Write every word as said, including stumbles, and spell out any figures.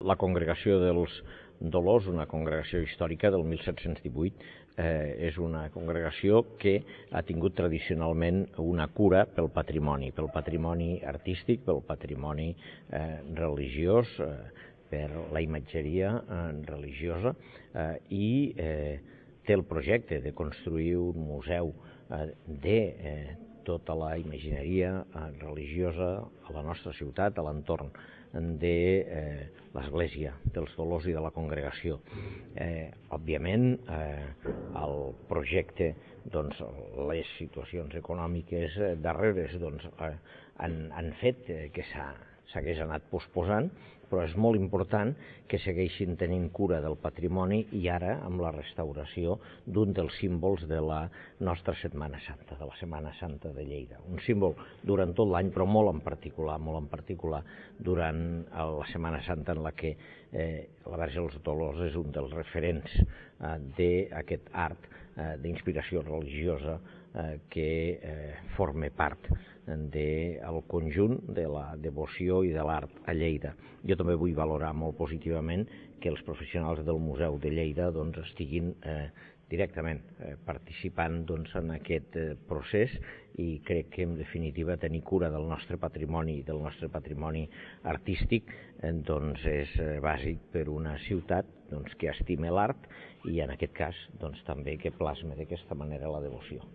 La Congregació dels Dolors, una congregació històrica del mil set-cents divuit, eh, és una congregació que ha tingut tradicionalment una cura pel patrimoni, pel patrimoni artístic, pel patrimoni eh, religiós, eh, per la imatgeria eh, religiosa eh, i eh, té el projecte de construir un museu eh, de eh, tota la imagineria eh, religiosa a la nostra ciutat, a l'entorn de eh, l'Església dels Dolors i de la Congregació. Eh, òbviament, eh, el projecte, doncs, les situacions econòmiques eh, darreres doncs, eh, han, han fet que s'hagués anat posposant, però és molt important que segueixin tenint cura del patrimoni i ara amb la restauració d'un dels símbols de la nostra Setmana Santa, de la Setmana Santa de Lleida. Un símbol durant tot l'any, però molt en particular, molt en particular durant la Setmana Santa en la que eh, la Verge dels Dolors és un dels referents eh, d'aquest art eh, d'inspiració religiosa eh, que eh, forma part del conjunt de la devoció i de l'art a Lleida. Jo també vull valorar molt positivament que els professionals del Museu de Lleida doncs, estiguin eh, directament eh, participant doncs, en aquest eh, procés i crec que en definitiva tenir cura del nostre patrimoni, del nostre patrimoni artístic eh, doncs, és eh, bàsic per una ciutat doncs, que estime l'art i en aquest cas doncs, també que plasma d'aquesta manera la devoció.